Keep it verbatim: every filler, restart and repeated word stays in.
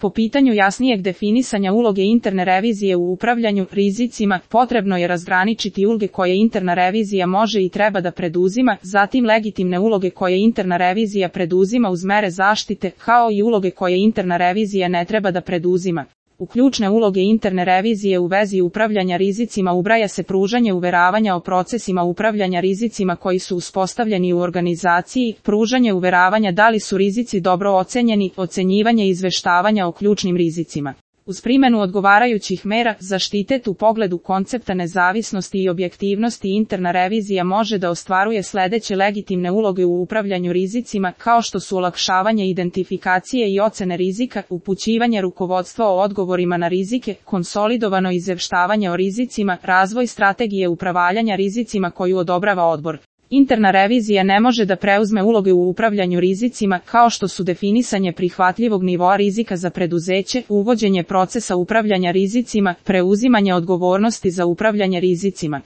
Po pitanju jasnijeg definisanja uloge interne revizije u upravljanju rizicima, potrebno je razgraničiti uloge koje interna revizija može i treba da preduzima, zatim legitimne uloge koje interna revizija preduzima uz mere zaštite, kao i uloge koje interna revizija ne treba da preduzima. U ključne uloge interne revizije u vezi upravljanja rizicima ubraja se pružanje uveravanja o procesima upravljanja rizicima koji su uspostavljeni u organizaciji, pružanje uveravanja da li su rizici dobro ocenjeni, ocenjivanje i izveštavanja o ključnim rizicima. Uz primjenu odgovarajućih mera zaštitet u pogledu koncepta nezavisnosti i objektivnosti interna revizija može da ostvaruje sledeće legitimne uloge u upravljanju rizicima, kao što su olakšavanje identifikacije i ocene rizika, upućivanje rukovodstva o odgovorima na rizike, konsolidovano izveštavanje o rizicima, razvoj strategije upravljanja rizicima koju odobrava odbor. Interna revizija ne može da preuzme uloge u upravljanju rizicima, kao što su definisanje prihvatljivog nivoa rizika za preduzeće, uvođenje procesa upravljanja rizicima, preuzimanje odgovornosti za upravljanje rizicima.